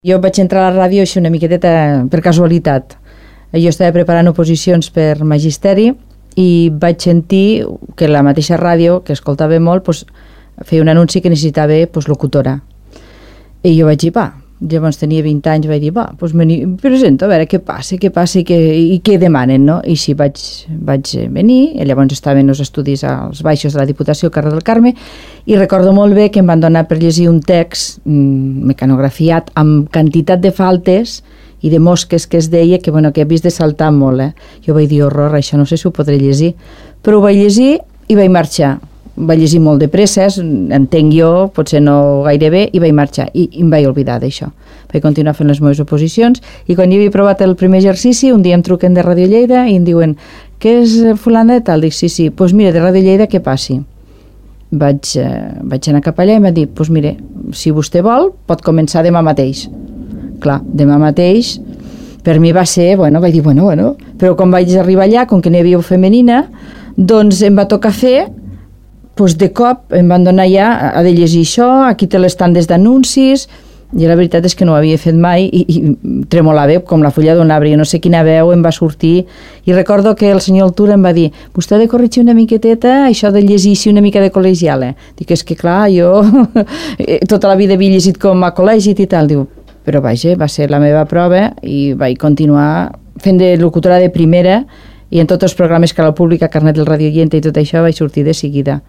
Jo vaig entrar a la ràdio així una miqueteta per casualitat. Jo estava preparant oposicions per magisteri i vaig sentir que la mateixa ràdio, que escoltava molt, feia un anunci que necessitava locutora. I jo vaig dir, llavors tenia 20 anys, vaig dir, me presento a veure què passa i què demanen, no? I sí, vaig venir, i llavors estaven els estudis als baixos de la Diputació, carrer del Carme, i recordo molt bé que em van donar per llegir un text mecanografiat amb quantitat de faltes i de mosques que es deia que he vist de saltar molt. Jo vaig dir, horror, això no sé si ho podré llegir, però ho vaig llegir i vaig marxar. Vaig llegir molt de pressa, entenc jo, potser no gaire bé, i vaig marxar, i em vaig oblidar d'això. Vaig continuar fent les meves oposicions, i quan jo havia provat el primer exercici, un dia em truquen de Ràdio Lleida i em diuen, què és fulana de tal? Dic, sí, doncs mira, de Ràdio Lleida què passi? Vaig anar cap allà i em va dir, doncs mira, si vostè vol, pot començar demà mateix. Clar, demà mateix, per mi va ser, vaig dir, bueno, però quan vaig arribar allà, com que n'hi havia femenina, doncs em va tocar fer, de cop em van donar ja a de llegir això, aquí té les tandes d'anuncis, i la veritat és que no ho havia fet mai i tremolava com la fulla d'un arbre, no sé quina veu em va sortir, i recordo que el senyor Altura em va dir, vostè ha de corregir una miqueteta això de llegir una mica de col·legial, Dic, és que clar, jo tota la vida havia llegit com a col·legi i tal, diu, però vaja, va ser la meva prova i vaig continuar fent de locutora de primera i en tots els programes que la pública, Carnet del Radio Oyente i tot això vaig sortir de seguida.